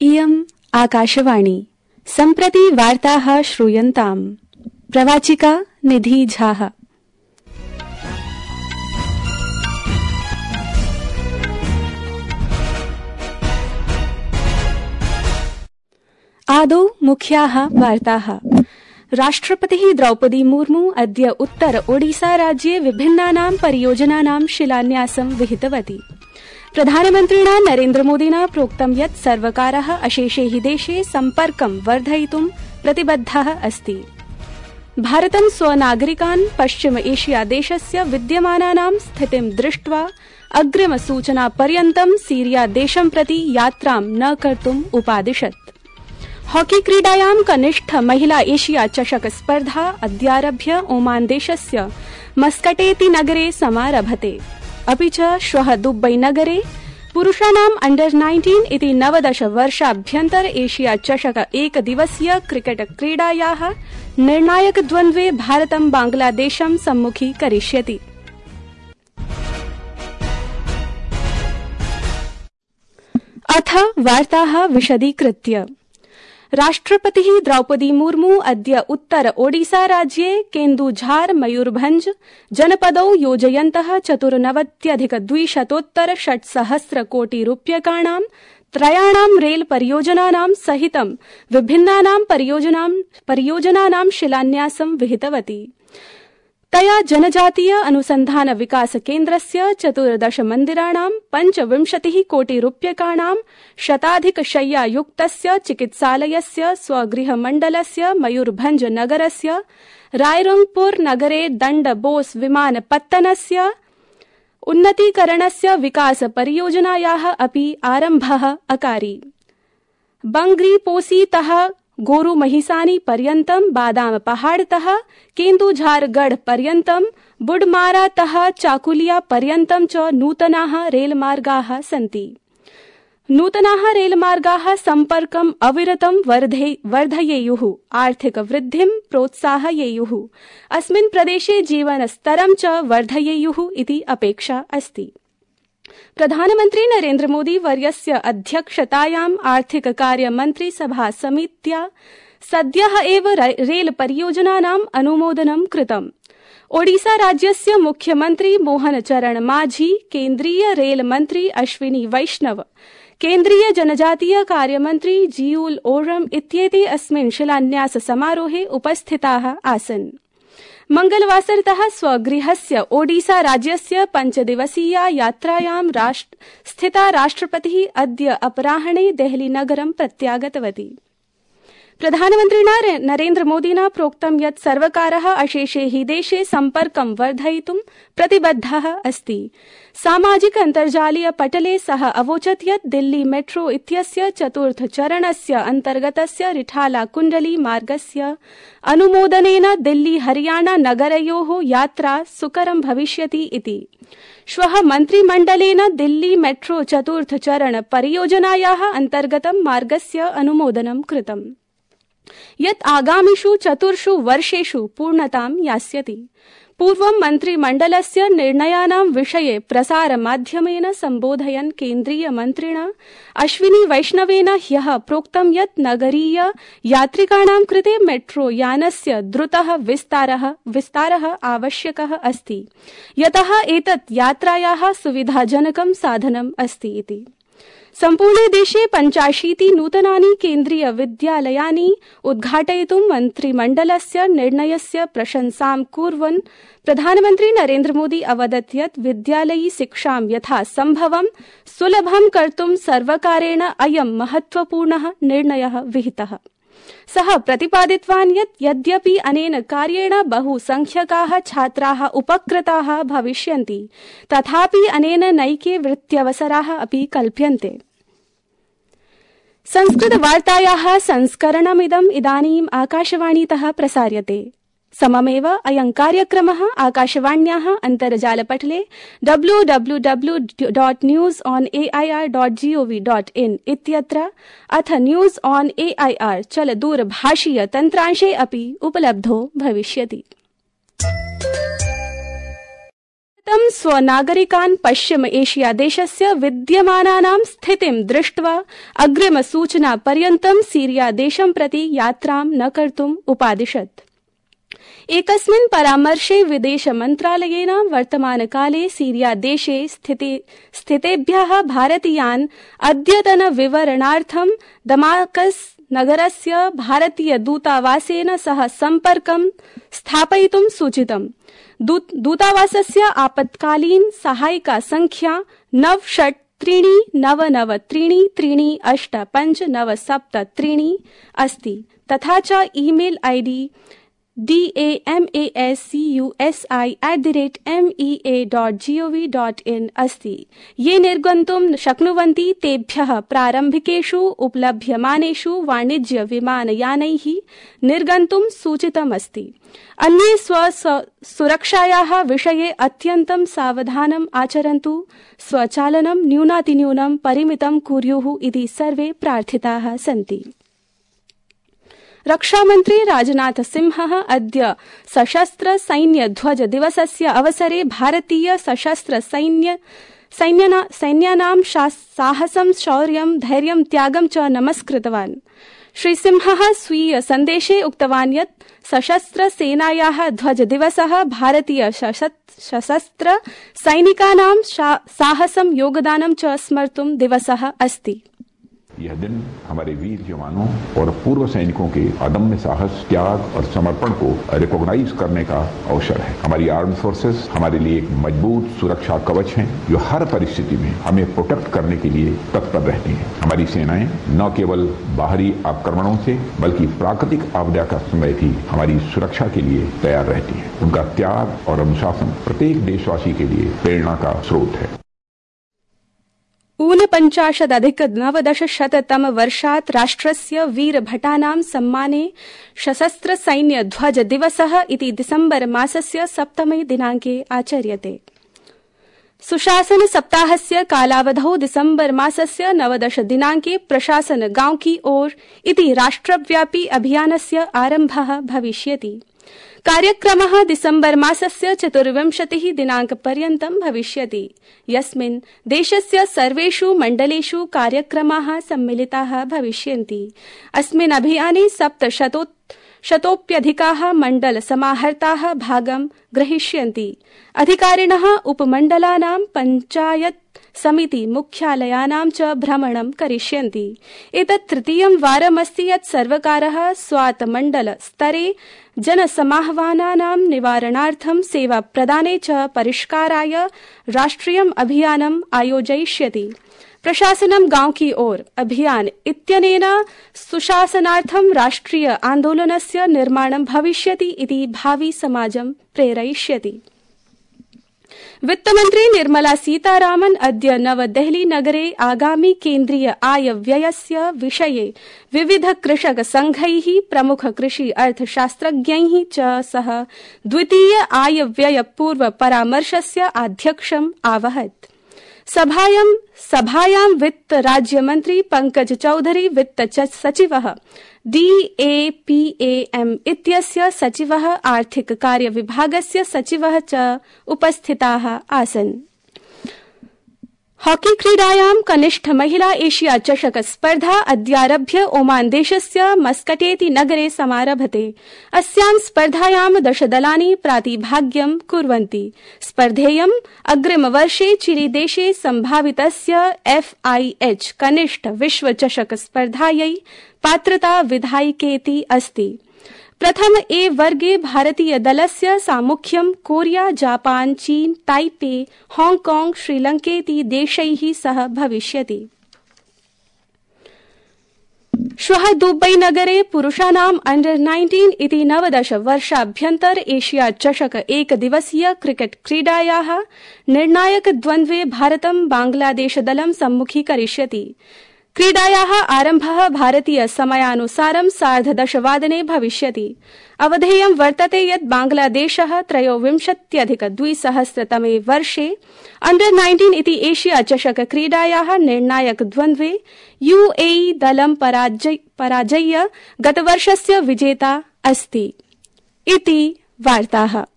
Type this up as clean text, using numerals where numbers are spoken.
इयम् आकाशवाणी सम्प्रति वार्ताः श्रूयन्ताम्। प्रवाचिका निधि झाः। आदौ मुख्याः वार्ताः। राष्ट्रपतिः द्रौपदी मुर्मू अद्य उत्तर ओडिसा राज्ये विभिन्नानां परियोजनानां शिलान्यासं विहितवती। प्रधानमन्त्रिणा नरेन्द्रमोदिना प्रोक्तं यत् सर्वकारः अशेषे हि देशे सम्पर्कं वर्धयितुं प्रतिबद्धः अस्ति। भारतं स्वनागरिकान् पश्चिम एशिया देशस्य विद्यमानानां स्थितिं दृष्ट्वा अग्रिमसूचनापर्यन्तं सीरिया देशं प्रति यात्रां न कर्तुम् उपादिशत्। हॉकी क्रीडायां कनिष्ठ महिला एशिया चषक स्पर्धा अद्यारभ्य ओमान देशस्य मस्कटेति नगरे समारभते। अपि च श्वः दुबई नगरे पुरुषाणाम् अंडर 19 इति 19 वर्षाभ्यन्तर एशिया चषक एकदिवसीय क्रिकेट क्रीडायाः निर्णायक द्वन्द्वे भारतं बांग्लादेशं सम्मुखीकरिष्यति। अथ वार्ताः विशदीकृत्य। राष्ट्रपतिः द्रौपदी मुर्मू अद्य उत्तर ओडिसा राज्ये केन्दुझार मयूरभंज जनपदौ योजयन्तः 94,200 कोटि रूप्यकाणां त्रयाणां रेल परियोजनानां सहितं विभिन्नानां परियोजनानां शिलान्यासं विहितवती। तया जनजातीय अनुसंधान विकास केन्द्रस्य 14 मन्दिराणां 25 कोटि रूप्यकाणां शताधिकशय्यायुक्तस्य चिकित्सालयस्य स्वगृहमण्डलस्य मयूरभंज नगरस्य रायरंगपुर नगरे दण्ड बोस विमानपत्तनस्य उन्नतीकरणस्य विकास परियोजनायाः अपि आरम्भः अकारि। बंग्रीपोसीतः गोरु महिसानी पर्यन्तं बादाम पहाड़तः केन्दुझारगढ़ पर्यन्तं बुडमारातः चाकुलिया पर्यन्तं च नूतनाः रेलमार्गाः सन्ति। नूतनाः रेलमार्गाः सम्पर्कम् अविरतं वर्धयेयुः, आर्थिक वृद्धिं प्रोत्साहयेयुः, अस्मिन् प्रदेशे जीवनस्तरं च वर्धयेयुः इति अपेक्षा अस्ति। प्रधानमन्त्री नरेन्द्र मोदी वर्यस्य अध्यक्षतायाम् आर्थिक कार्य मन्त्री सभा समित्या सद्यः एव रेल परियोजनानाम् अनुमोदनं कृतम्। ओडिसा राज्यस्य मुख्यमन्त्री मोहन चरण माझी, केन्द्रीय रेल मन्त्री अश्विनी वैष्णव, केन्द्रीय जनजातीय कार्यमन्त्री जीउल ओरम इत्येते अस्मिन् शिलान्यास समारोहे उपस्थिताः आसन्। मंगलवासरतः स्वगृहस्य ओडिसा राज्यस्य 5 दिवसीया यात्रायां स्थिता राष्ट्रपतिः अद्य अपराह्णे देहली नगरं प्रत्यागतवती। प्रधानमन्त्रिणा नरेन्द्र मोदिना प्रोक्तं यत् सर्वकारः अशेषे हि देशे सम्पर्कं वर्धयितुं प्रतिबद्धः अस्ति। सामाजिक अन्तर्जालीय पटले सः अवोचत् यत् दिल्ली मेट्रो इत्यस्य 4th चरणस्य अन्तर्गतस्य रिठाला कुण्डली मार्गस्य अनुमोदनेन दिल्ली हरियाणा नगरयोः यात्रा सुकरं भविष्यति इति। श्वः मन्त्रिमण्डलेन दिल्ली मेट्रो 4th चरण परियोजनायाः अन्तर्गतं मार्गस्य अनुमोदनं कृतम्, यत् आगामिषु 4 वर्षेषु पूर्णतां यास्यति। पूर्वं मन्त्रिमण्डलस्य निर्णयानां विषये प्रसारमाध्यमेन सम्बोधयन् केन्द्रीय मन्त्रिणा अश्विनी वैष्णवेन ह्यः प्रोक्तं यत् नगरीय यात्रिकाणां कृते मेट्रो यानस्य द्रुतः विस्तारः आवश्यकः अस्ति, यतः एतत् यात्रायाः सुविधाजनकं साधनम् अस्ति इति। सम्पूर्णे देशे 85 नूतनानि केन्द्रीय विद्यालयानि उद्घाटयितुं मन्त्रिमण्डलस्य निर्णयस्य प्रशंसां कुर्वन् प्रधानमन्त्री नरेन्द्र मोदी अवदत् यत् विद्यालयी शिक्षां यथा सम्भवं सुलभं कर्तुं सर्वकारेण अयं महत्वपूर्णः निर्णयः विहितः। सः प्रतिपादितवान् यत् यद्यपि अनेन कार्येण बहुसंख्यकाः छात्राः उपकृताः भविष्यन्ति, तथापि अनेन नैके वृत्त्यवसराः अपि कल्प्यन्ते। संस्कृतवार्तायाः संस्करणमिदम् इदानीम् आकाशवाणीतः प्रसार्यते। सममेव अयं कार्यक्रमः आकाशवाण्याः अन्तर्जालपटले www.newsonair.gov.in इत्यत्र अथ न्यूज ऑन एआईआर चलदूरभाषीय तन्त्रांशे अपि उपलब्धो भविष्यति। भारतं स्वनागरिकान् पश्चिम एशिया देशस्य विद्यमानानां स्थितिं दृष्ट्वा अग्रिम सूचना पर्यन्तं सीरिया देशं प्रति यात्रां न कर्तुम् उपादिशत्। एकस्मिन् परामर्शे विदेश मन्त्रालयेन वर्तमानकाले सीरिया देशे स्थितेभ्यः भारतीयान् अद्यतन विवरणार्थं दमास्कस् नगरस्य भारतीय दूतावासेन सह सम्पर्कं स्थापयितुं सूचितम्। दूतावासस्य आपत्कालीन सहायिका संख्या 963993385973 अस्ति तथा च ईमेल आईडी damasusi@mea.gov.in अस्ति। ये निर्गन्तुं शक्नुवन्ति तेभ्यः प्रारम्भिकेषु उपलभ्यमानेषु वाणिज्य विमानयानैः निर्गन्तुं सूचितमस्ति। अन्ये स्वसुरक्षायाः विषये अत्यन्तं सावधानम् आचरन्तु, स्वचालनं न्यूनातिन्यूनं परिमितं कुर्युः इति सर्वे प्रार्थिताः सन्ति। रक्षामन्त्री राजनाथ सिंहः अद्य सशस्त्र सैन्य ध्वज दिवसस्य अवसरे भारतीय सशस्त्र सैन्यानां साहसं शौर्यं धैर्यं त्यागं च नमस्कृतवान्। श्री सिंहः स्वीय सन्देशे उक्तवान् यत् सशस्त्र सेनायाः ध्वज दिवसः भारतीय सशस्त्र सैनिकानां साहसं योगदानं च स्मर्तुं दिवसः अस्ति। यह दिन हमारे वीर जवानों और पूर्व सैनिकों के अदम्य साहस, त्याग और समर्पण को रिकॉग्नाइज करने का अवसर है। हमारी आर्म्ड फोर्सेस हमारे लिए एक मजबूत सुरक्षा कवच हैं, जो हर परिस्थिति में हमें प्रोटेक्ट करने के लिए तत्पर रहती हैं। हमारी सेनाएं न केवल बाहरी आक्रमणों से बल्कि प्राकृतिक आपदा का समय भी हमारी सुरक्षा के लिए तैयार रहती हैं। उनका त्याग और अनुशासन प्रत्येक देशवासी के लिए प्रेरणा का स्रोत है। 49-1990 वर्षात् राष्ट्रस्य वीरभटानां सम्माने सशस्त्र सैन्य ध्वज दिवसः इति दिसम्बर मासस्य 7 दिनाङ्के आचर्यते। सुशासन सप्ताहस्य कालावधौ दिसम्बर मासस्य 19 दिनाङ्के प्रशासन गांव की ओर इति राष्ट्रव्यापी अभियानस्य आरम्भः भविष्यति। कार्यक्रमः दिसम्बर मासस्य 24 दिनाङ्कपर्यन्तं भविष्यति, यस्मिन् देशस्य सर्वेषु मण्डलेषु कार्यक्रमाः सम्मिलिताः भविष्यन्ति। अस्मिन् अभियाने 700तोऽप्यधिकाः मण्डल समाहर्ताः भागं ग्रहीष्यन्ति। अधिकारिणः उपमण्डलानां पञ्चायत समिति मुख्यालयानां च भ्रमणं करिष्यन्ति। एतत् तृतीयं वारमस्ति यत् सर्वकारः स्वात् मण्डल स्तरे जनसमाह्वानानां निवारणार्थं सेवा प्रदाने च परिष्काराय राष्ट्रियम् अभियानम् आयोजयिष्यति। प्रशासनं गांव की ओर अभियान इत्यनेन सुशासनार्थं राष्ट्रिय आन्दोलनस्य निर्माणं भविष्यति इति भावी समाजं प्रेरयिष्यति। वित्तमन्त्री निर्मला सीतारामन् अद्य नवदेहली नगरे आगामी केन्द्रीय आय व्ययस्य विषये विविध कृषक संघैः प्रमुख कृषि अर्थशास्त्रज्ञैः च सह द्वितीय आय व्यय पूर्व परामर्शस्य आध्यक्षम् आवहत्। सभायां वित्त राज्यमन्त्री पंकज चौधरी, वित्त सचिवः DAPAM इत्यस्य सचिवः, आर्थिक कार्य विभागस्य सचिवः च उपस्थिताः आसन्। हॉकी क्रीडायां कनिष्ठ महिला एशिया चषक स्पर्धा अद्यारभ्य ओमान देशस्य मस्कटेति नगरे समारभते। अस्यां स्पर्धायां 10 दलानि प्रातिभाग्यं कुर्वन्ति। स्पर्धेयं अग्रिमवर्षे चिलीदेशे सम्भावितस्य FIH कनिष्ठ विश्व चषक स्पर्धायै पात्रता विधायिकेति अस्ति। प्रथम ए वर्गे भारतीय दलस्य सामुख्यं कोरिया, जापान, चीन, ताइपे, हांगकांग, श्रीलंकेति देशैः सह भविष्यति। श्वः दुबई नगरे पुरुषाणाम् अंडर-19 इति 19 वर्षाभ्यन्तर एशिया चषक एकदिवसीय क्रिकेट क्रीडायाः निर्णायक द्वन्द्वे भारतं बांग्लादेश दलं सम्मुखीकरिष्यति। क्रीडायाः आरम्भः भारतीय समयानुसारं 10:30 वादने भविष्यति। अवधेयं वर्तते यत् बांग्लादेशः 23-2000 वर्षे अंडर-19 इति एशिया चषक क्रीडायाः निर्णायक द्वन्द्वे UAE दलं पराजय्य गतवर्षस्य विजेता अस्ति इति वार्ताः।